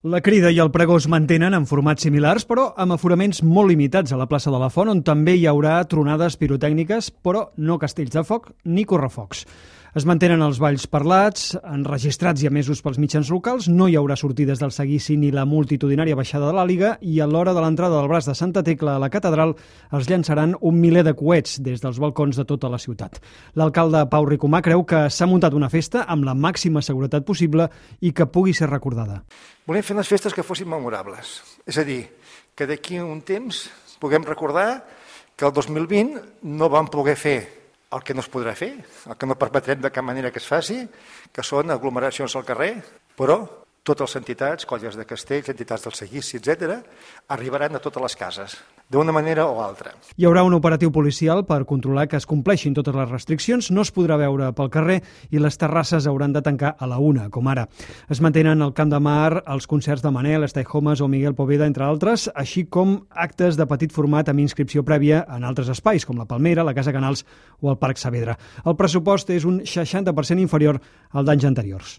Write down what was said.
La Crida i el Pregó es mantenen en formats similars, però amb aforaments molt limitats a la plaça de la Font, on també hi haurà tronades pirotècniques, però no castells de foc ni correfocs. Es mantenen els balls parlats, enregistrats i emesos pels mitjans locals, no hi haurà sortides del seguici ni la multitudinària baixada de l'Àliga i a l'hora de l'entrada del braç de Santa Tecla a la catedral es llançaran 1 miler de coets des dels balcons de tota la ciutat. L'alcalde Pau Ricomà creu que s'ha muntat una festa amb la màxima seguretat possible i que pugui ser recordada. Volem fer unes festes que fossin memorables, és a dir, que d'aquí a un temps puguem recordar que el 2020 no vam poder fer el que no es podrà fer, el que no permetrem de cap manera que es faci, que són aglomeracions al carrer, però totes les entitats, colles de castells, entitats del seguici, etc., arribaran a totes les cases, d'una manera o altra. Hi haurà un operatiu policial per controlar que es compleixin totes les restriccions, no es podrà veure pel carrer i les terrasses hauran de tancar a la 1, com ara. Es mantenen al Camp de Mar els concerts de Manel, Stay Homes o Miguel Poveda, entre altres, així com actes de petit format amb inscripció prèvia en altres espais, com la Palmera, la Casa Canals o el Parc Saavedra. El pressupost és un 60% inferior al d'anys anteriors.